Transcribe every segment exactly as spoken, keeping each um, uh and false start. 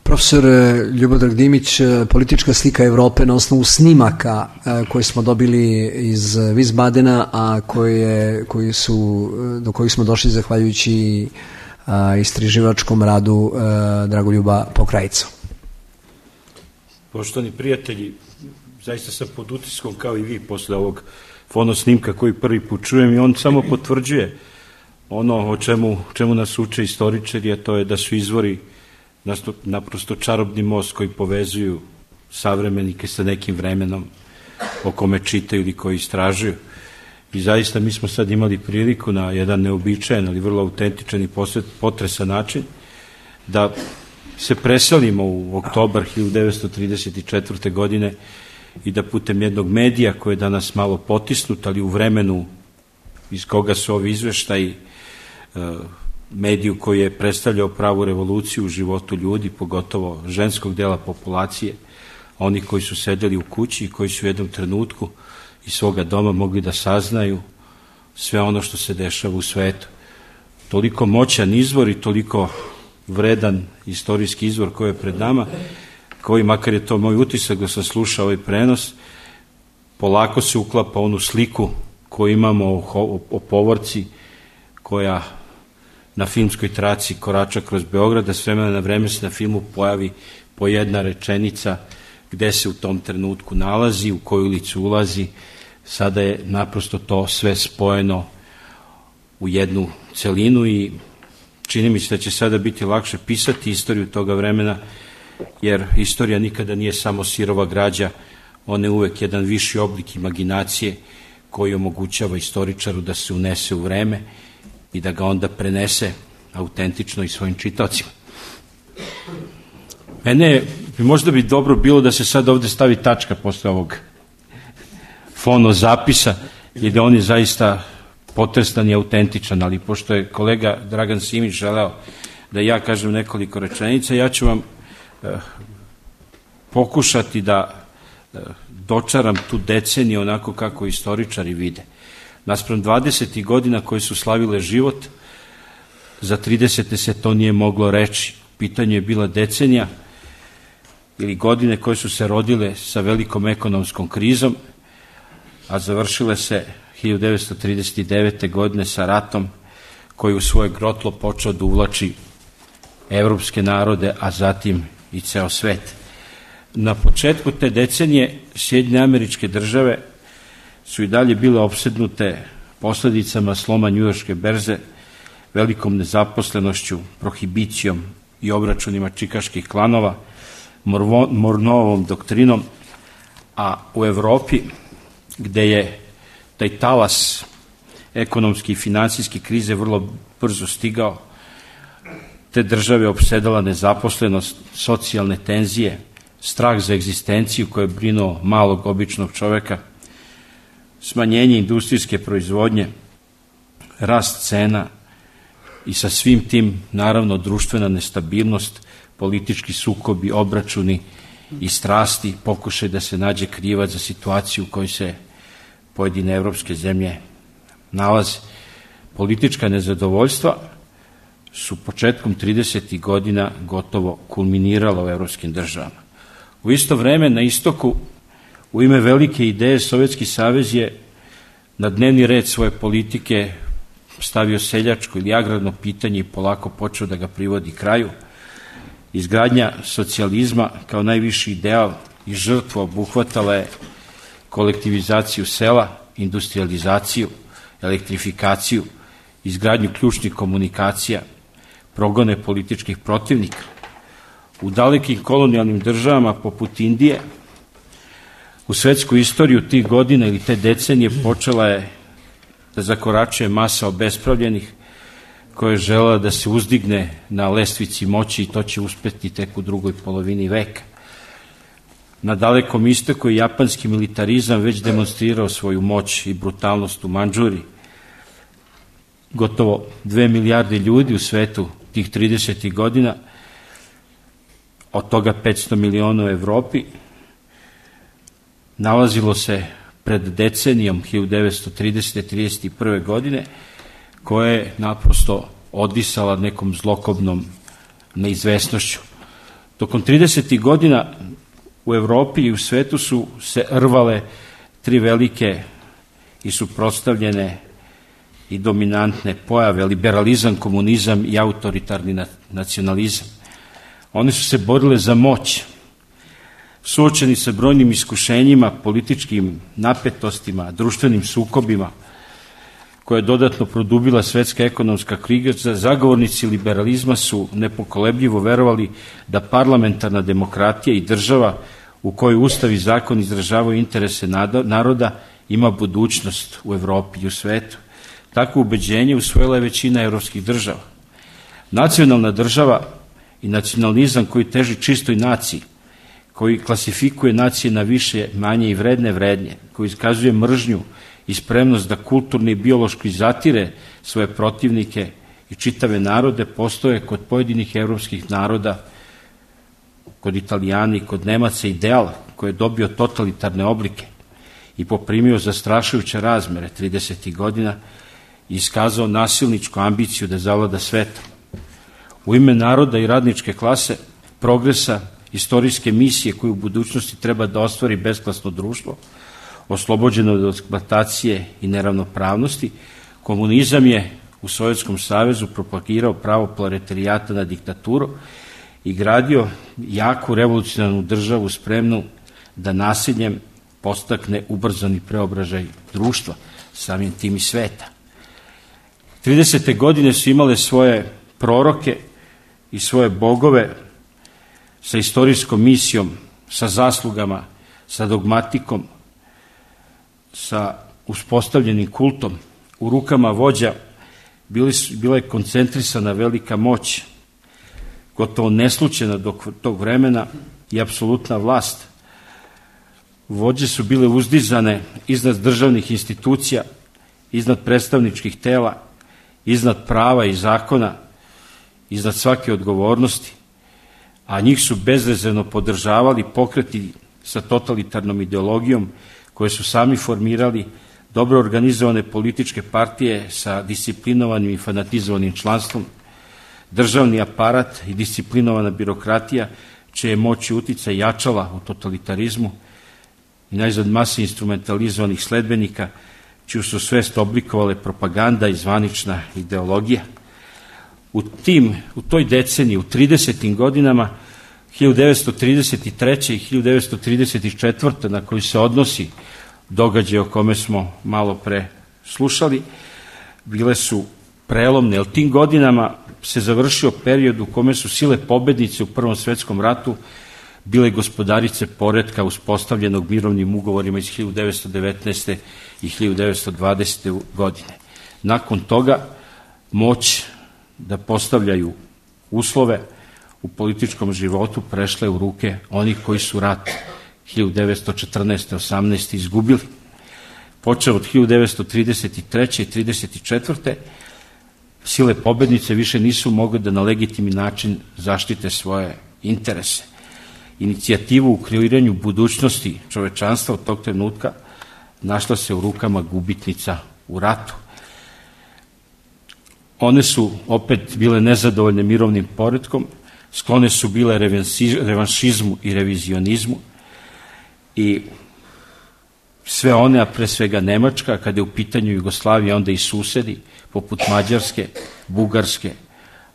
Profesor Ljubodrag Dimić, politička slika Evrope na osnovu snimaka koje smo dobili iz Wiesbadena, a koje, koji su, do kojih smo došli zahvaljujući istraživačkom radu Dragoljuba Pokrajca. Poštovani prijatelji, zaista sam pod utiskom kao i vi posle ovog fonosnimka koji prvi put čujem i on samo potvrđuje ono o čemu, čemu nas uče istoričari, a to je da su izvori naprosto čarobni most koji povezuju savremenike sa nekim vremenom o kome čitaju ili koji istražuju. I zaista mi smo sad imali priliku na jedan neobičajan, ali vrlo autentičan i potresan način da se preselimo u oktobar hiljadu devetsto trideset četvrte. godine i da putem jednog medija koji je danas malo potisnut, ali u vremenu iz koga su ovi izveštaji, mediju koji je predstavljao pravu revoluciju u životu ljudi, pogotovo ženskog dela populacije, oni koji su sedeli u kući i koji su u jednom trenutku iz svoga doma mogli da saznaju sve ono što se dešava u svetu. Toliko moćan izvor i toliko vredan istorijski izvor koji je pred nama, koji, makar je to moj utisak da sam slušao ovaj prenos, polako se uklapa onu sliku koju imamo o, o povorci koja na filmskoj traci korača kroz Beograd, da s vremena na vreme se na filmu pojavi po jedna rečenica gde se u tom trenutku nalazi, u koju ulicu ulazi. Sada je naprosto to sve spojeno u jednu celinu i čini mi se da će sada biti lakše pisati istoriju toga vremena, jer istorija nikada nije samo sirova građa, ona je uvek jedan viši oblik imaginacije koji omogućava istoričaru da se unese u vreme i da ga onda prenese autentično i svojim čitaocima. Mene bi možda bi dobro bilo da se sad ovde stavi tačka posle ovog fonozapisa i da on je zaista potrestan i autentičan, ali pošto je kolega Dragan Simić želeo da ja kažem nekoliko rečenica, ja ću vam eh, pokušati da eh, dočaram tu deceniju onako kako istoričari vide. Naspram dvadesetih godina koje su slavile život, za tridesete se to nije moglo reći. Pitanje je bila decenija ili godine koje su se rodile sa velikom ekonomskom krizom, a završile se hiljadu devetsto trideset devete. godine sa ratom koji u svoje grotlo počeo da uvlači evropske narode, a zatim i ceo svet. Na početku te decenije Sjedinjene Američke Države su i dalje bile opsednute posledicama sloma njujorške berze, velikom nezaposlenošću, prohibicijom i obračunima čikaških klanova, Monroeovom doktrinom, a u Evropi, gde je taj talas ekonomski i finansijske krize vrlo brzo stigao, te države opsedala nezaposlenost, socijalne tenzije, strah za egzistenciju koje je brinuo malog običnog čoveka, smanjenje industrijske proizvodnje, rast cena i sa svim tim, naravno, društvena nestabilnost, politički sukobi, obračuni i strasti, pokušaj da se nađe krivac za situaciju u kojoj se pojedine evropske zemlje nalaze. Politička nezadovoljstva su početkom tridesetih godina gotovo kulminirala u evropskim državama. U isto vreme, na istoku, u ime velike ideje, Sovjetski savez je na dnevni red svoje politike stavio seljačko ili agrarno pitanje i polako počeo da ga privodi kraju. Izgradnja socijalizma kao najviši ideal i žrtva obuhvatala je kolektivizaciju sela, industrializaciju, elektrifikaciju, izgradnju ključnih komunikacija, progone političkih protivnika. U dalekim kolonijalnim državama poput Indije, u svetsku istoriju tih godina ili te decenije počela je da zakoračuje masa obespravljenih koja je želela da se uzdigne na lestvici moći i to će uspeti tek u drugoj polovini veka. Na dalekom istoku je japanski militarizam već demonstrirao svoju moć i brutalnost u Mandžuriji. Gotovo dve milijarde ljudi u svetu tih tridesetih godina, od toga petsto miliona u Evropi, nalazilo se pred decenijom hiljadu devetsto tridesete do trideset prve. godine, koja je naprosto odisala nekom zlokobnom neizvesnošću. Tokom tridesetih godina u Evropi i u svetu su se rvale tri velike i suprotstavljene i dominantne pojave: liberalizam, komunizam i autoritarni nacionalizam. One su se borile za moć, suočeni sa brojnim iskušenjima, političkim napetostima, društvenim sukobima, koja je dodatno produbila svetska ekonomska kriza. Zagovornici liberalizma su nepokolebljivo verovali da parlamentarna demokratija i država u kojoj ustav i zakon izražavaju interese naroda ima budućnost u Evropi i u svetu. Takvo ubeđenje usvojila je većina evropskih država. Nacionalna država i nacionalizam koji teži čistoj naciji, koji klasifikuje nacije na više, manje i vredne vrednje, koji iskazuje mržnju i spremnost da kulturno i biološki zatire svoje protivnike i čitave narode, postoje kod pojedinih evropskih naroda, kod Italijana i kod Nemaca, ideal koji je dobio totalitarne oblike i poprimio zastrašujuće razmere tridesetih godina i iskazao nasilničku ambiciju da zavlada svetom. U ime naroda i radničke klase, progresa, istorijske misije koju u budućnosti treba da ostvari besklasno društvo, oslobođeno od eksploatacije i neravnopravnosti, komunizam je u Sovjetskom savezu propagirao pravo proletarijata na diktaturu i gradio jaku revolucionarnu državu spremnu da nasiljem podstakne ubrzani preobražaj društva, samim tim i sveta. tridesete godine su imale svoje proroke i svoje bogove sa istorijskom misijom, sa zaslugama, sa dogmatikom, sa uspostavljenim kultom. U rukama vođa bili su, bila je koncentrisana velika moć, gotovo neslučena do tog vremena, i apsolutna vlast. Vođe su bile uzdizane iznad državnih institucija, iznad predstavničkih tela, iznad prava i zakona, iznad svake odgovornosti, a njih su bezrezervno podržavali pokreti sa totalitarnom ideologijom koje su sami formirali, dobro organizovane političke partije sa disciplinovanim i fanatizovanim članstvom, državni aparat i disciplinovana birokratija, čije je moć i uticaj jačala u totalitarizmu, i najzad mase instrumentalizovanih sledbenika, čiju su svest oblikovale propaganda i zvanična ideologija. U, tim, u toj deceniji, u tridesetim godinama, hiljadu devetsto trideset treće. i hiljadu devetsto trideset četvrte. na koji se odnosi događaj o kome smo malo pre slušali, bile su prelomne, jer tim godinama se završio period u kome su sile pobednice u Prvom svetskom ratu bile gospodarice poretka uspostavljenog mirovnim ugovorima iz hiljadu devetsto devetnaeste. i hiljadu devetsto dvadesete. godine. Nakon toga moć da postavljaju uslove u političkom životu prešle u ruke onih koji su rat hiljadu devetsto četrnaeste. osamnaeste. izgubili. Počeo od hiljadu devetsto trideset treće. i trideset četvrte. sile pobednice više nisu mogle da na legitimni način zaštite svoje interese. Inicijativu u kreiranju budućnosti čovečanstva od tog trenutka našla se u rukama gubitnica u ratu. One su opet bile nezadovoljne mirovnim poretkom, sklone su bile revanšizmu i revizionizmu, i sve one, a pre svega Nemačka, kada je u pitanju Jugoslavija, onda i susedi, poput Mađarske, Bugarske,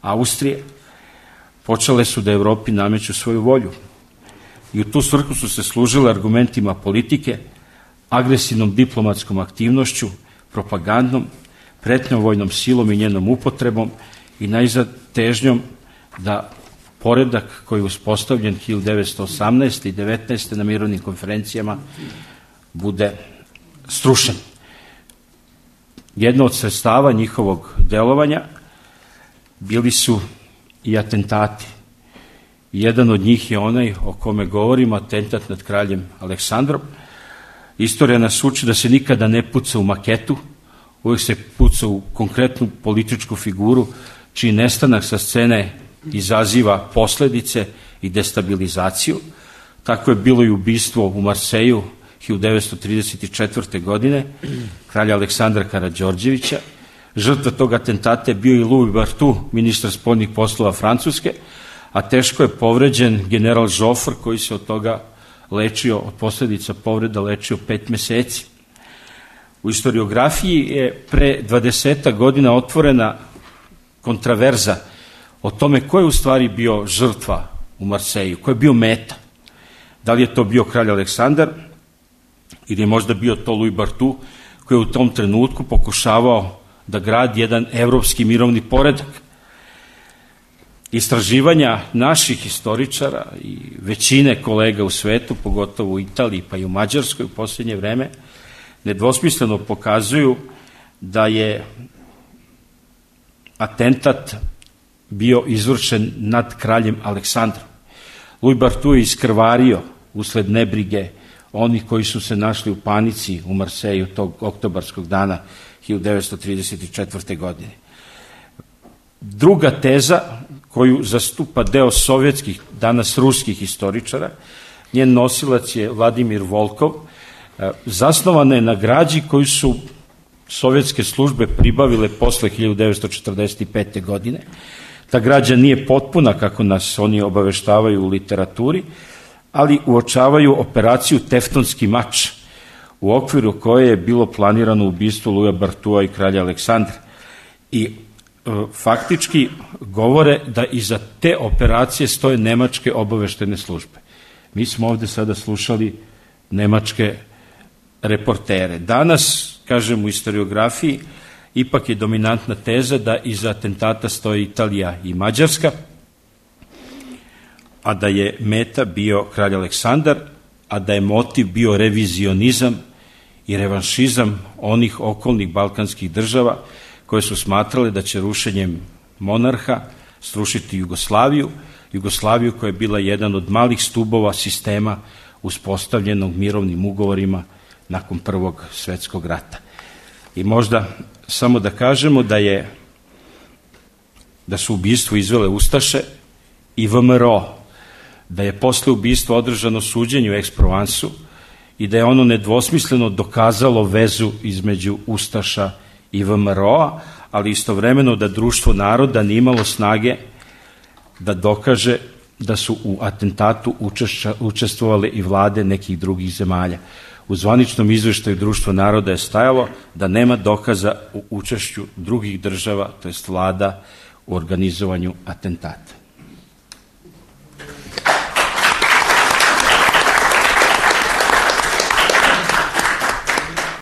Austrije, počele su da Evropi nameću svoju volju. I u tu svrhu su se služile argumentima politike, agresivnom diplomatskom aktivnošću, propagandom, pretnjom vojnom silom i njenom upotrebom i najzad težnjom da poredak koji je uspostavljen hiljadu devetsto osamnaeste. i devetnaeste. na mirovnim konferencijama bude strušen. Jedno od sredstava njihovog delovanja bili su i atentati. Jedan od njih je onaj o kome govorimo, atentat nad kraljem Aleksandrom. Istorija nas uči da se nikada ne puca u maketu, uvijek se puca u konkretnu političku figuru, čiji nestanak sa scene izaziva posledice i destabilizaciju. Tako je bilo i ubistvo u Marseju hiljadu devetsto trideset četvrte. godine, kralja Aleksandra Karađorđevića. Žrtva tog atentata je bio i Louis Barthou, ministar spoljnih poslova Francuske, a teško je povređen general Žofr, koji se od toga lečio, od posljedica povreda lečio pet meseci. U historiografiji je pre dvadesetak godina otvorena kontraverza o tome ko je u stvari bio žrtva u Marseju, ko je bio meta. Da li je to bio kralj Aleksandar ili je možda bio to Louis Barthou, koji je u tom trenutku pokušavao da gradi jedan evropski mirovni poredak. Istraživanja naših historičara i većine kolega u svetu, pogotovo u Italiji pa i u Mađarskoj u posljednje vreme, nedvosmisleno pokazuju da je atentat bio izvršen nad kraljem Aleksandrom. Louis Barthou je iskrvario usled nebrige onih koji su se našli u panici u Marseju tog oktobarskog dana hiljadu devetsto trideset četvrte. godine. Druga teza koju zastupa deo sovjetskih, danas ruskih historičara, njen nosilac je Vladimir Volkov, zasnovana je na građi koju su sovjetske službe pribavile posle hiljadu devetsto četrdeset pete. godine. Ta građa nije potpuna, kako nas oni obaveštavaju u literaturi, ali uočavaju operaciju Teftonski mač, u okviru koje je bilo planirano ubistvo Louisa Barthoua i kralja Aleksandra. I e, faktički govore da iza te operacije stoje nemačke obaveštene službe. Mi smo ovde sada slušali nemačke reportere. Danas, kažem, u historiografiji ipak je dominantna teza da iza atentata stoje Italija i Mađarska, a da je meta bio kralj Aleksandar, a da je motiv bio revizionizam i revanšizam onih okolnih balkanskih država koje su smatrale da će rušenjem monarha srušiti Jugoslaviju, Jugoslaviju koja je bila jedan od malih stubova sistema uspostavljenog mirovnim ugovorima nakon Prvog svetskog rata. I možda samo da kažemo da je da su ubistvo izvele Ustaše i V M R O, da je posle ubistva održano suđenje u Aix-Provensu i da je ono nedvosmisleno dokazalo vezu između Ustaša i V M R O-a, ali istovremeno da Društvo naroda nije imalo snage da dokaže da su u atentatu učestvovale i vlade nekih drugih zemalja. U zvaničnom izveštaju Društva naroda je stajalo da nema dokaza u učešću drugih država, to jest vlada, u organizovanju atentata.